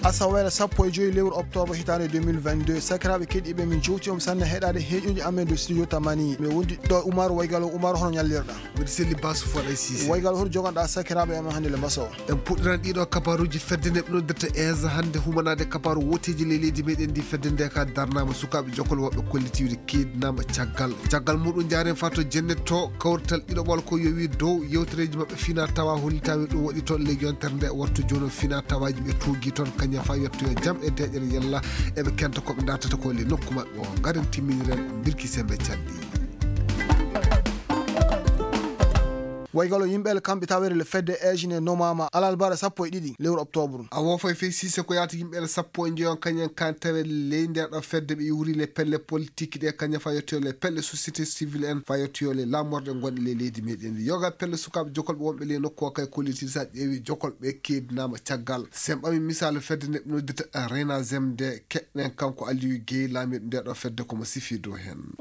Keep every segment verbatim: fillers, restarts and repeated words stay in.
Asaweere sappo e joyi lewru oktoobre hitaande deux mille vingt-deux. Sakiraaɓe keɗiiɓe, min jowti on sanne heɗaade heeƴuji amen de studio Tamani. Mi wondi ɗo Umaru Waygalo. Umaru, hono ñallirɗa? Mbiɗa selli Basu Faɗa Sise. Waygalo, hoto joganɗa sakiraaɓe amen hannde le mbasa o? En puɗɗiran ɗiɗo kabaruji fedde nde ɓe noddirta esa hannde humanaade kabaru woteji ley leydi meɗen ndi. Fedde nde ka darnama sukaaɓe jokol woɓɓe kollitiiɓe keedinama caggal. Caggal muɗum jaare fato jenne to kawrital ɗiɗo ɓol ko yowi dow yewtereji maɓɓe fina tawa hollitawi ɗum waɗi toon ley yontere nde wattu jono fina tawaji ɓe tuugi toon kañum fa yettoyo jam e deƴere yalla eɓe kenta koɓe dartata ko le nokku maɓɓe o. Garen timminiren birki sembe canɗi. Waygalo yimɓe kamɓe tawere le fedde ejine nomama alalbara sappo e ɗiɗi lewru octobre. A wofay fey sise ko yaata yimɓe sappo e njoyon kañen kan tawe ley nder ɗo fedde ɓe iwri le pelle politique ɗe kaña fa yettoyo le pelle société civile en fa yettoyo le lamorɗe gonɗe ley leydi meɗen yoga pelle sukaɓe jokolɓe wonɓe ley nokku o kay kolliti sa ƴeewi jokolɓe keedinama caggal semɓami misal fedde nde ɓe noddita rena zem nde keɗɗen kanko Aliou Guèye laamiɗo nde ɗo fedde komo sifi dow hen.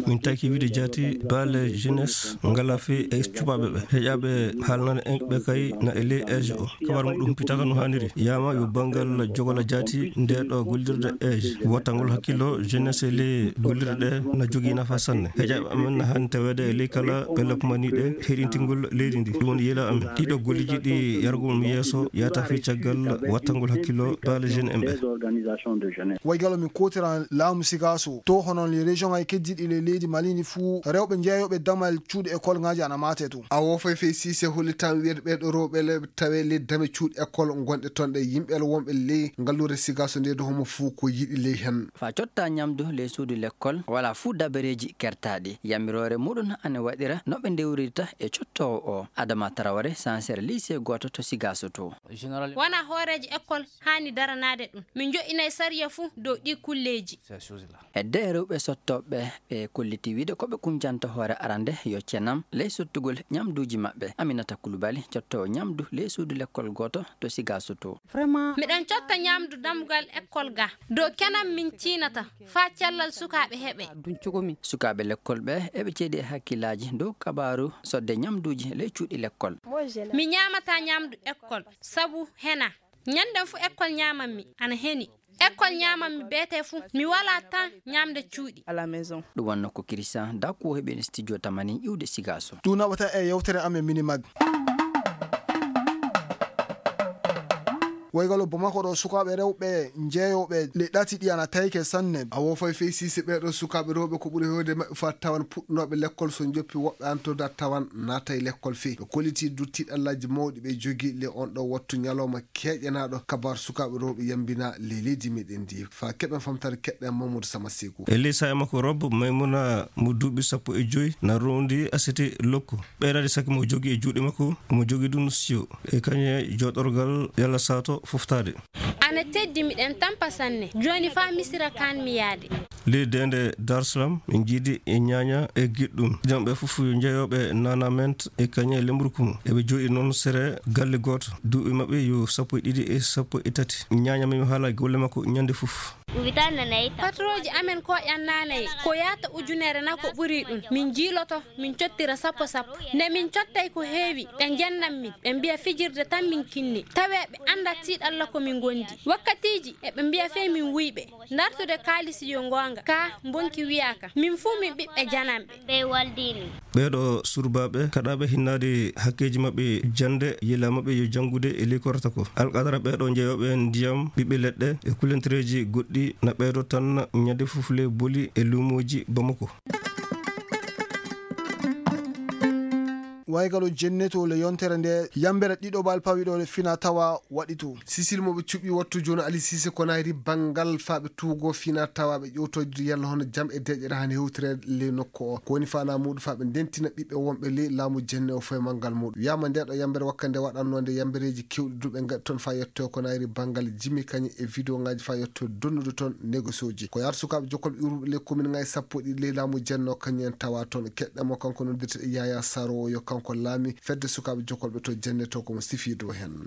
Min taki wiide jaati baale jeunesse ngala fi e cuɓaɓe ɓe heƴaɓe haalnane en ɓe kay na e ley age o kabar muɗum pitaka no haniri yama yo bangal jogola jaati nde ɗo gollirde age wattangol hakkillo jeunesse e ley gollirde ɗe na jogii nafa sanne heƴaɓe amen na hani taweede e ley kala pelle kumani ɗe heɗintingol leydi ndi ɗum woni yela amen ɗiɗo golliji ɗi yargol mi yeeso yata fi caggal wattangol hakkillo baale jeune en ɓe. Waygalo min kotiran laamu sigaso to hono les région ay keddiɗi le leydi malini fuu rewɓe jeeyoɓe damal cuuɗi école ngaji ana mate to. A wofay fey sise hollitan wiyde ɓeɗo rewɓe le tawe le dame cuuɗi école gonɗe toon ɗe yimɓe wonɓe ley ngallure sigaso nde do homo fuu ko yiɗi ley hen. Fa cotta ñamdu ley suudu lekkol wala fuu dabareeji kertaaɗi yamiroore muɗum ana waɗira no ɓe ndewrirta e cottoowo o adama tarawre sansere lycée gooto to sigaso to. Wona hooreejo école haani daranaade ɗum. Min njoɗɗinay sariya fuu dow ɗii kulleeji. Hedde e rewɓe sottooɓe ɓe kolliti wiide ko ɓe kuñjanta hoore arande yo cenam ley sottugol ñamduuji maɓɓe. Aminata Kulubali cottoowo ñamdu ley suudu lekkol gooto to Sigaso to. Miɗen cotta ñamdu dammugal école ga dow kenam min ciinata faa cellal sukaaɓe heɓe. Sukaaɓe lekkol ɓe eɓe ceedi e hakkillaaji dow kabaaru sodde ñamduuji ley cuuɗi lekkol. Mi ñaamataa ñamdu école sabu hena. Ñannden fu ekkol ñaaman mi ana heni. Ekkol ñaaman mi beete fu mi walaa tan ñaamde cuuɗi. Ɗum wonno ko Christian Daku o heɓi en studio tamani iwde Sigaso. Ɗum naɓata e yewtere amen Minimag. Waygalo Bamako ɗo sukaaɓe rewɓe jeeyooɓe le ɗati ɗi ana tayke sanne. A wofay fey sise ɓeeɗo sukaaɓe rewɓe ko ɓuri hewde maɓɓe fa tawan puɗɗunooɓe lekkol so njoppi woɓɓe antoda tawan naata e lekkol fey. Ɓe kolliti duttiɗi allaji mawɗi ɓe jogi le on ɗo wattu ñalawma keeƴanaaɗo kabar sukaaɓe rewɓe yambina le leydi meɗen ndi fa keɓen famtare keɗɗen Mamadou Sama Seku. E ley saaya makko Rob Maymuna mo duuɓi sappo e joyi na rondi asete lokko. Ɓeydade saki mo jogi e juuɗe makko mo jogi ɗum siyo e kañe joɗorgal yalla sato foftaade. Ana teddi miɗen tampa sanne jooni fa misira kan mi yaade. Ley deende Darsalam min jiidi e ñaaña e giɗɗum jamɓe fof yo jeeyooɓe nanament e kañe lemburkumu eɓe jooɗi noon sere galle gooto duuɓi maɓɓe yo sappo e ɗiɗi e sappo e tati ñaaña min haala golle makko ñande fof. Patrooji amen koƴan naanaye ko yahata ujunere na ko ɓuri ɗum min jiiloto min cottira sappo sappo nde min cottay ko heewi ɓe njennan min ɓe mbiya fijirde tan min kinni tawe ɓe anndat tiiɗalla ko min ngondi wakkatiiji eɓe mbiya fey min wuyɓe dartude kaalisi yo ngoonga ka mbonki wiyaaka min fuu min ɓiɓɓe jananɓe. Ɓeeɗo surbaaɓe kaɗaaɓe hinnaade hakkeeji maɓɓe jannde yila maɓɓe yo janngude e ley korata ko alqadara ɓeeɗo njeyooɓe ndiyam ɓiɓɓe leɗɗe e kulentereeji goɗɗi na ɓeeɗo tan ñande fof le boli e luumooji Bamako. Waygalo jenneto le yontere nde yambere ɗiɗo bal pawiɗo le fina tawa waɗi to. Sisil mo ɓe cuɓi wattu jono Ali Sise ko nayri banngal faaɓe tuugo fina tawa ɓe ƴewtoyde yalla hono jam e deƴƴere han hewtireede ley nokku o ko woni fana muɗum faaɓe ndentina ɓiɓɓe wonɓe ley laamu jenne o foye manngal muɗum wiyama nde ɗo yambere wakkande waɗannoonde yambereeji kewɗi duɓe ngaɗi toon fa yetto ko nayri banngal jimi kañum e vidéo ngaji fa yetto donnude toon négocioji ko yaata sukaaɓe jokkolɓe iwruɓe ley commune ngaji sappo e ɗiɗi ley laamu jenne o kañum en tawa toon keɗɗe mo kanko noddirte e yaya saro o yo kanko Ko laami fedde sukaaɓe jokolɓe to jenne to ko mo sifi dow heen.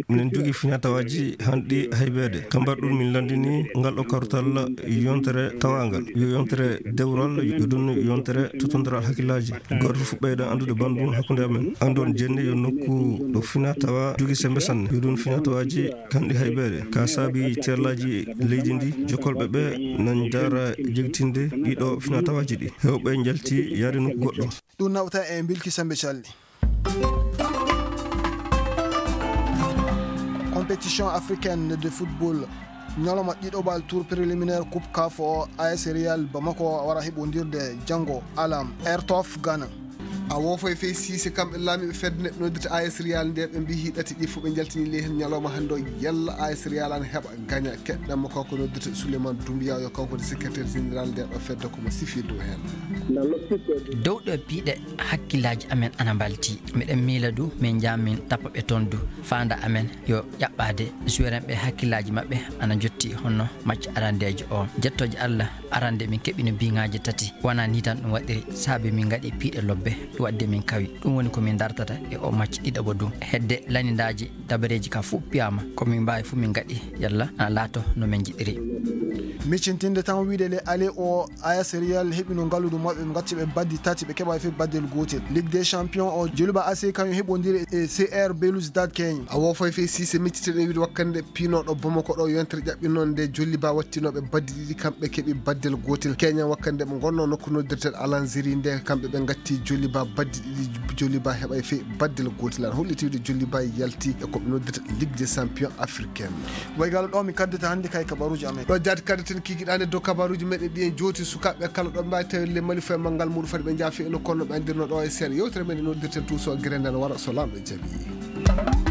Minen jogi finatawaaji hanɗi haybeede. Kambar ɗum min lanndini ngal ɗo kartal yontere tawaangal. Yo yontere dewral, yo ɗum yontere totondiral hakkillaaji. Gooto fof ɓeyɗa anndude banndum hakkunde amen. Anndon jenne yo nokku ɗo finatawa jogi sembe sanne. Yo ɗum finatawaaji hanɗi haybeede. Ka saabi teerlaaji leydi ndi, jokolɓe ɓe nan jaara jegtinde ɗiɗo finatawaaji ɗi. Heewɓe njalti yaade nokku goɗɗo. Ɗum nawta e Bilki Sembe Calli. Compétition africaine de football. Ñalawma ɗiɗaɓal tour préliminaire Coupe CAF o, A S Real Bamako wara heɓondirde janngo alam Ertof Ghana. A woofay fey Siise, kamɓe laamiiɓe fedde neɗɗo noddirta A S Real nde ɓe mbiyi ɗati ɗi fof ɓe njaltini ley heen ñalawma hannde o, yalla A S Real ana heɓa gaña. Keɗɗen mo kanko noddirta Souleymane Doumbia, yo kanko woni secrétaire général nde ɗo fedde, ko mo sifi dow heen. Dow ɗo piiɗe hakkillaaji amen ana mbalti. Miɗen miila du min njaa min tappa ɓe toon du. Faanda amen yo ƴaɓɓaade joueur en ɓe hakkillaaji maɓɓe ana njotti honno match arandeejo o. Jettooje Allah, arande min keɓino biŋaaji tati. Wonaa nii tan ɗum waɗiri, saabi min ngaɗi piiɗe lobbe, ɗum waɗde min kawi. Ɗum woni ko min dartata e o match ɗiɗaɓo du. Hedde lanindaaji, dabareeji ka fof piyaama, ko min mbaawi fof min ngaɗi, yalla ana laato no min njiɗiri. Miccintinde tan wiyde le aller o, A S Real heɓino ngalluɗo maɓɓe, ɓe ngatti ɓe baddi tati, ɓe keɓaay fof baddel gootel. Ligue des Champions o, Djoliba A C kañum heɓondiri e C R Belouizdad Kenya. A woofay fey Siise, miccitteɗen wiyde wakkande piinooɗo Bamako ɗo yontere ƴaɓɓinoo nde, Djoliba wattinooɓe baddi ɗiɗi, kamɓe keɓi baddel gootel. Kenya wakkande ɓe ngonnoo nokku noddirten Alanziri nde, kamɓe ɓe ngatti Djoliba baddi ɗiɗi, Djoliba heɓay fey baddel gootel. Ana holliti wiyde Djoliba yalti e ko ɓe noddirta Ligue des Champions africaine. Way galo ɗo mi kaddata hannde kay kabaruuji amen. Ɗo jaati kaddeten kikiɗaande dow kabaruuji meɗen ɗi en jooti sukaaɓe kala ɗo mbaawi tawirle Mali fof e manngal muɗum fadi ɓe njaafi eno kono ɓe anndirno ɗo e seeɗa. Yewtere men e noddirten tuuso gere nden wara so Laamɗo jaɓi.